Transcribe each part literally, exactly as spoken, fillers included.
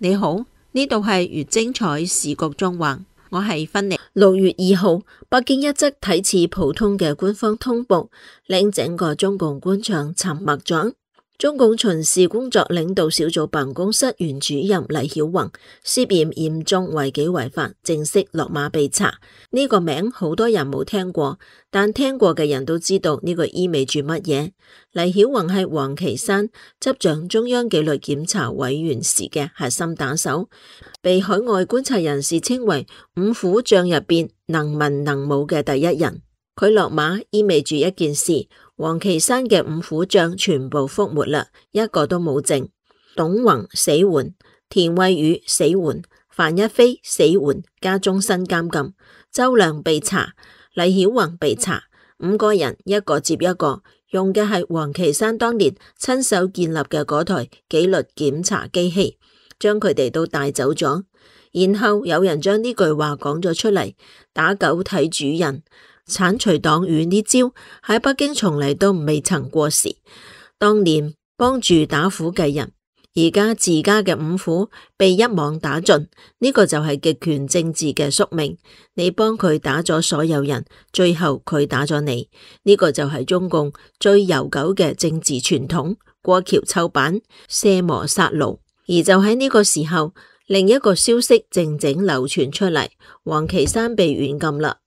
你好，呢度係粵精彩時局縱橫，我係芬妮。六月二號，北京一則睇似普通嘅官方通報，令整個中共官場沉默咗。中共巡視工作領導小組辦公室原主任黎曉宏涉嫌嚴重違紀違法，正式落馬被查。呢個名好多人冇聽過，但聽過嘅人都知道呢個意味住乜嘢。黎曉宏係王岐山執掌中央紀律檢查委員時嘅核心打手，被海外觀察人士稱為五虎將入邊能文能武嘅第一人。佢落馬意味住一件事，王岐山嘅五虎將全部覆沒啦，一個都冇剩。董宏死緩，田惠宇死緩，范一飛死緩加終身監禁，周亮被查，黎曉宏被查，五個人一個接一個，用嘅係王岐山當年親手建立嘅嗰台紀律檢查機器，將佢哋都帶走咗。然後有人將呢句話講咗出嚟，打狗睇主人。剷除黨羽呢招喺北京從嚟都未曾過時。當年幫住打虎嘅人，而家自家嘅五虎被一網打盡，呢個就係極權政治嘅宿命。你幫佢打咗所有人，最後佢打咗你，呢個就係中共最悠久嘅政治傳統，過橋抽板，卸磨殺爐。而就喺呢個時候，另一個消息靜靜流傳出嚟，王岐山被軟禁啦。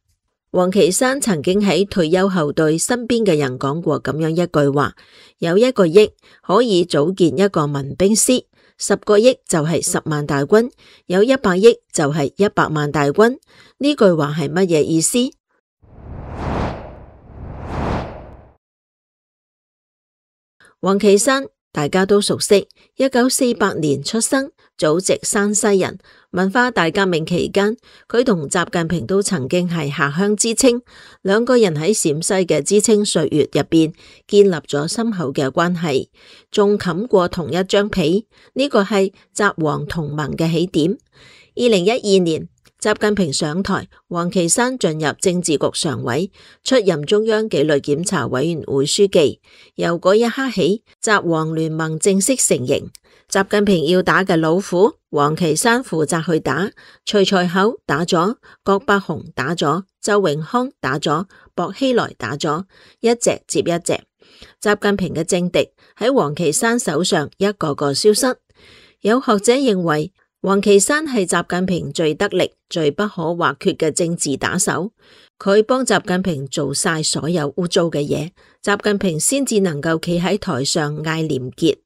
王岐山曾經喺退休後對身邊嘅人講過咁樣一句話：有一個億可以組建一個民兵師，十個億就係十萬大軍，有一百億就係一百萬大軍。呢句話係乜嘢意思？王岐山大家都熟悉，一九四八年出生，祖籍山西人。文化大革命期間，佢同習近平都曾經係下鄉知青，兩個人喺陝西嘅知青歲月入邊建立咗深厚嘅關係，仲冚過同一張被，呢個係習王同盟嘅起點。二零一二年，習近平上台，王岐山進入政治局常委，出任中央紀律檢查委員會書記。由嗰一刻起，習王聯盟正式成形。習近平要打嘅老虎，王岐山負責去打。徐才厚打咗，郭伯雄打咗，周永康打咗，薄熙來打咗，一隻接一隻。習近平嘅政敵喺王岐山手上一個個消失。有學者認為，王岐山係習近平最得力、最不可或缺嘅政治打手。佢幫習近平做晒所有污糟嘅嘢，習近平先至能夠企喺台上嗌廉潔。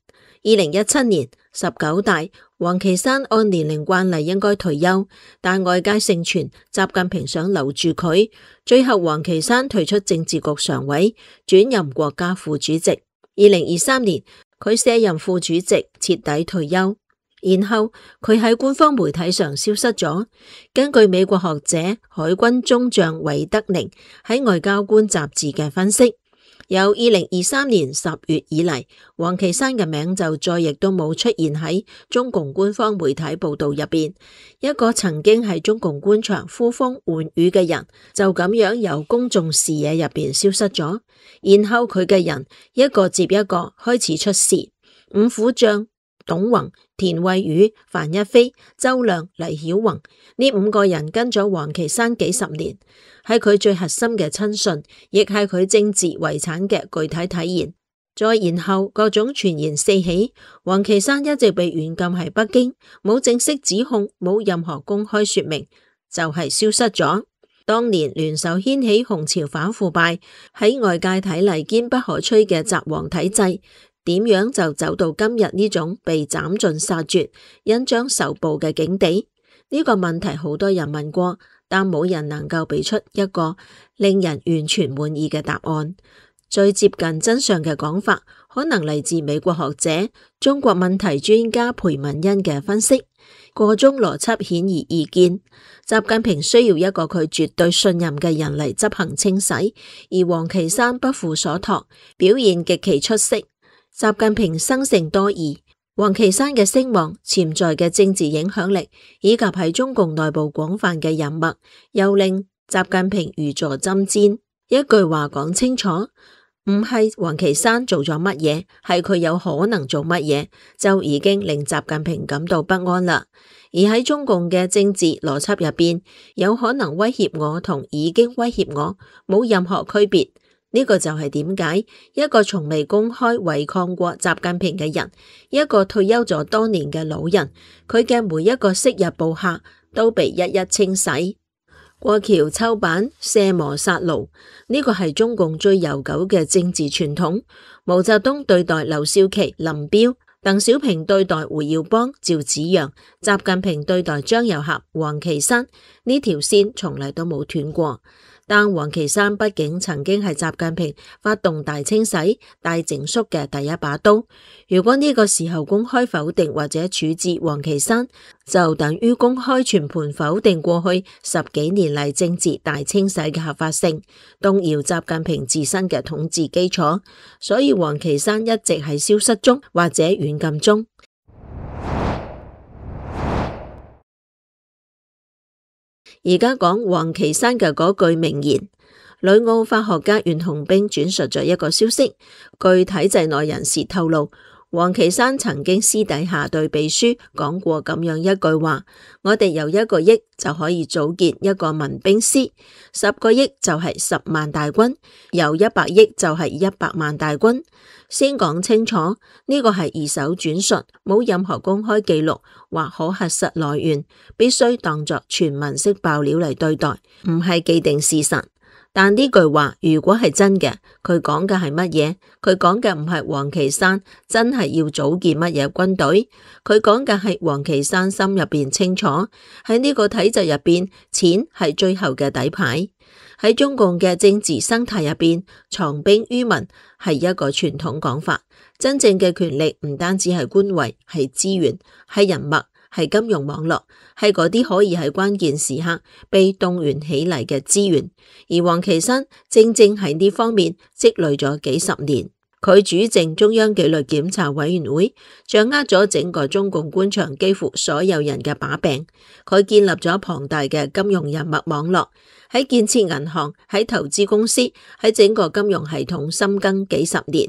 二零一七年十九大，王岐山按年齡慣例應該退休，但外界盛傳習近平想留住佢，最後王岐山退出政治局常委，轉任國家副主席。二零二三年，佢卸任副主席，徹底退休。然後佢喺官方媒體上消失咗。根據美國學者海軍中將韋德寧喺外交官雜誌嘅分析，由二零二三年十月以嚟，王岐山嘅名就再亦都冇出現喺中共官方媒體報道入邊。一個曾經喺中共官場呼風喚雨嘅人，就咁樣由公眾視野入邊消失咗。然後佢嘅人一個接一個開始出事，五虎將董宏、田惠宇、范一飛、周亮、黎曉宏呢五個人跟咗王岐山幾十年，係佢最核心嘅親信，亦係佢政治遺產嘅具體體現。再然後各種傳言四起，王岐山一直被軟禁喺北京，冇正式指控，冇任何公開說明，就係、是、消失咗。當年聯手掀起紅潮反腐敗，喺外界睇嚟堅不可摧嘅習王體制，點樣就走到今日呢種被斬盡殺絕、恩將仇報嘅境地？呢、這個問題好多人問過，但冇人能夠俾出一個令人完全滿意嘅答案。最接近真相嘅講法，可能嚟自美國學者、中國問題專家裴文欣嘅分析。個中邏輯顯而易見，習近平需要一個佢絕對信任嘅人嚟執行清洗，而王岐山不負所託，表現極其出色。習近平生性多疑，王岐山嘅聲望、潛在嘅政治影響力，以及喺中共內部廣泛嘅人脈，又令習近平如坐針氈。一句話講清楚，唔係王岐山做咗乜嘢，係佢有可能做乜嘢，就已經令習近平感到不安啦。而喺中共嘅政治邏輯入邊，有可能威脅我同已經威脅我冇任何區別。呢個就係點解一個從未公開違抗過習近平嘅人，一個退休咗多年嘅老人，佢嘅每一個昔日部下都被一一清洗。過橋抽板、卸磨殺爐，呢個係中共最悠久嘅政治傳統。毛澤東對待劉少奇、林彪，鄧小平對待胡耀邦、趙紫陽，習近平對待張又俠、王岐山，呢條線從嚟都冇斷過。但王岐山畢竟曾經係習近平發動大清洗、大整肅嘅第一把刀。如果呢個時候公開否定或者處置王岐山，就等於公開全盤否定過去十幾年嚟政治大清洗嘅合法性，動搖習近平自身嘅統治基礎。所以王岐山一直係消失中或者軟禁中。而家講王岐山嘅嗰句名言，旅澳法學家袁洪兵轉述咗一個消息，據體制內人士透露，王岐山曾經私底下對秘書講過咁樣一句話：我哋有一個億就可以組建一個民兵師，十個億就係十萬大軍，有一百億就係一百萬大軍。先講清楚，呢個係二手轉述，冇任何公開記錄或可核實來源，必須當作傳聞式爆料嚟對待，唔係既定事實。但呢句話如果係真嘅，佢講嘅係乜嘢？佢講嘅唔係王岐山真係要組建乜嘢軍隊，佢講嘅係王岐山心入邊清楚，喺呢個體制入邊，錢係最後嘅底牌。喺中共嘅政治生態入邊，藏兵於民係一個傳統講法。真正嘅權力唔單止係官位，係資源，係人脈，係金融網絡，係嗰啲可以喺關鍵時刻被動員起嚟嘅資源。而王岐山正正喺呢方面積累咗幾十年。佢主政中央紀律檢查委員會，掌握咗整個中共官場幾乎所有人嘅把柄。佢建立咗龐大嘅金融人脈網絡，喺建設銀行、喺投資公司、喺整個金融系統深耕幾十年。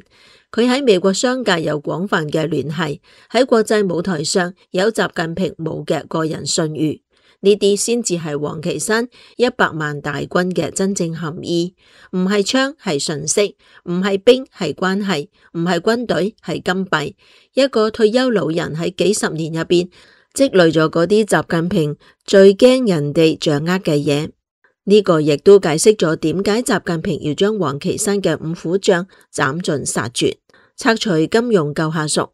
佢喺美國商界有廣泛嘅聯繫，喺國際舞台上有習近平冇嘅個人信譽。呢啲先至係王岐山一百萬大軍嘅真正含義，唔係槍係信息，唔係兵係關係，唔係軍隊係金幣。一個退休老人喺幾十年入邊積累咗嗰啲習近平最驚人哋掌握嘅嘢。呢個亦都解釋咗點解習近平要將王岐山嘅五虎將斬盡殺絕，拆除金融舊下屬，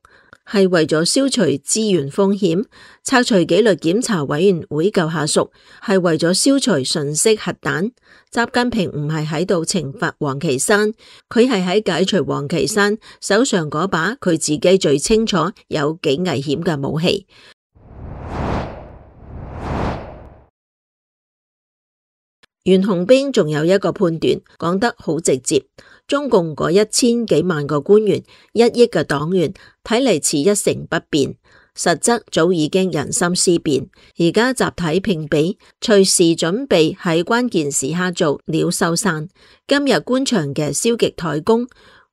係為咗消除資源風險；拆除紀律檢查委員會舊下屬，係為咗消除信息核彈。習近平唔係喺度懲罰王岐山，佢係喺解除王岐山手上嗰把佢自己最清楚有幾危險嘅武器。袁洪兵仲有一個判斷講得好直接，中共嗰一千幾萬個官員、一億嘅黨員，睇嚟似一成不變，實則早已經人心思變。而家集體評比，隨時準備喺關鍵時刻做鳥獸散。今日官場嘅消極怠工、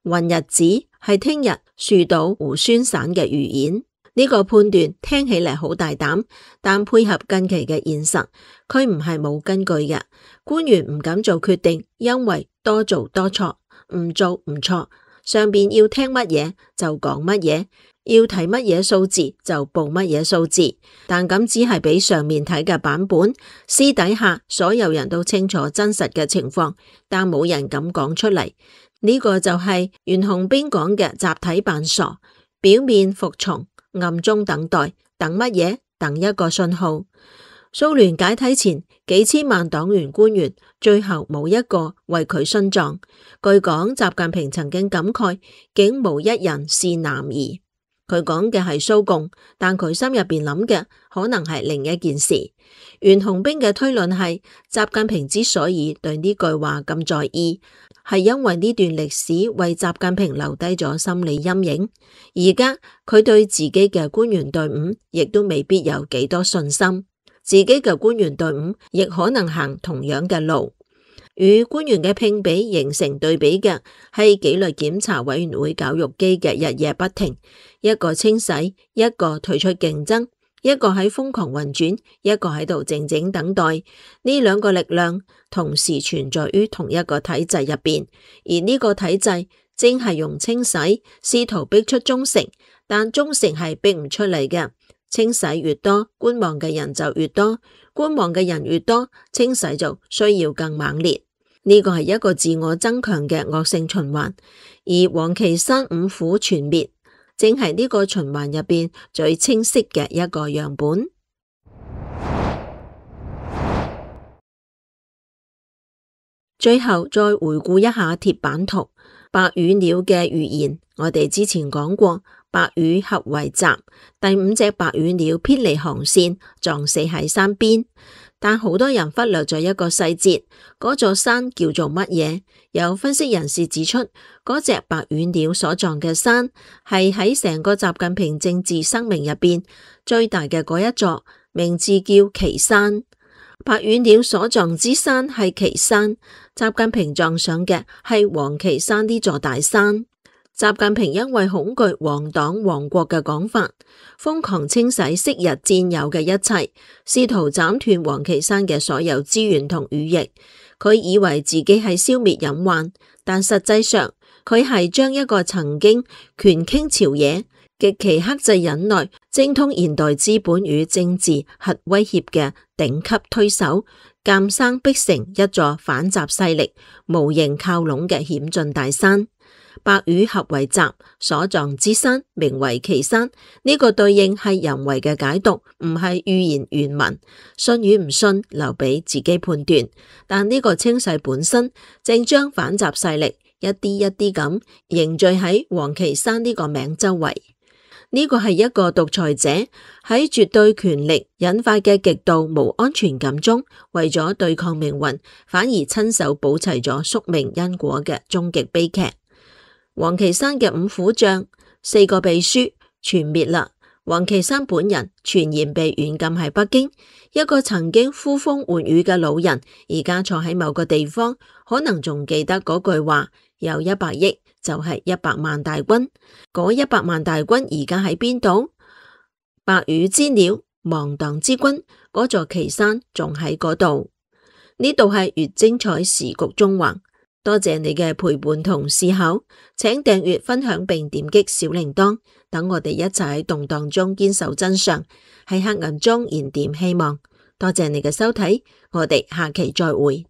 混日子，係聽日樹倒猢猻散嘅預演。呢個判斷聽起嚟好大膽，但配合近期嘅現實，佢唔係冇根據嘅。官員唔敢做決定，因為多做多錯，唔做唔錯。上邊要聽乜嘢就講乜嘢，要睇乜嘢數字就報乜嘢數字。但咁只係俾上面睇嘅版本，私底下所有人都清楚真實嘅情況，但冇人敢講出嚟。呢個就係袁洪兵講嘅集體扮傻，表面服從，暗中等待，等乜嘢？等一個信號。蘇聯解體前，幾千萬黨員官員，最後冇一個為佢殉葬。據講，習近平曾經感慨，竟無一人是男兒。佢講嘅係蘇共，但佢心入邊諗嘅可能係另一件事。袁洪兵嘅推論係，習近平之所以對呢句話咁在意，係因為呢段歷史為習近平留低咗心理陰影。而家佢對自己嘅官員隊伍亦都未必有幾多信心，自己嘅官員隊伍亦可能行同樣嘅路。與官員嘅聘比形成對比嘅係紀律檢查委員會絞肉機嘅日夜不停，一個清洗，一個退出競爭，一個喺瘋狂運轉，一個喺度靜靜等待。呢兩個力量同時存在於同一個體制入邊，而呢個體制正係用清洗試圖逼出忠誠，但忠誠係逼唔出嚟嘅。清洗越多，觀望嘅人就越多，觀望嘅人越多，清洗就需要更猛烈。呢個係一個自我增強嘅惡性循環，而王岐山五虎全滅，正係呢個循環入邊最清晰嘅一個樣本。最後再回顧一下鐵板圖，白羽鳥嘅預言，我哋之前講過。白羽合為集，第五隻白羽鳥偏離航線，撞死喺山邊。但好多人忽略咗一個細節，嗰座山叫做乜嘢？有分析人士指出，嗰隻白羽鳥所撞嘅山係喺成個習近平政治生命入邊最大嘅嗰一座，名字叫岐山。白羽鳥所撞之山係岐山，習近平撞上嘅係王岐山呢座大山。習近平因為恐懼亡黨亡國嘅講法，瘋狂清洗昔日佔有嘅一切，試圖斬斷王岐山嘅所有資源同羽翼。佢以為自己係消滅隱患，但實際上佢係將一個曾經權傾朝野、極其克制忍耐、精通現代資本與政治核威脅嘅頂級推手，監生逼成一座反習勢力無形靠攏嘅險峻大山。白羽合為集，所撞之山名為岐山。呢、這個對應係人為嘅解讀，唔係預言原文。信與唔信留俾自己判斷。但呢個清洗本身正將反習勢力一啲一啲咁凝聚喺王岐山呢個名周圍。呢、這個係一個獨裁者喺絕對權力引發嘅極度無安全感中，為咗對抗命運，反而親手保齊咗宿命因果嘅終極悲劇。王岐山嘅五虎將、四個秘書全滅啦。王岐山本人傳言被軟禁喺北京，一個曾經呼風喚雨嘅老人，而家坐喺某個地方，可能仲記得嗰句話：有一百億就係一百萬大軍。嗰一百萬大軍而家喺邊度？白羽之鳥，亡黨之軍，嗰座岐山仲喺嗰度。呢度係越精彩時局縱橫。多謝你嘅陪伴同思考，請訂閱、分享並點擊小鈴鐺，等我哋一齊喺動盪中堅守真相，喺黑暗中燃點希望。多謝你嘅收睇，我哋下期再會。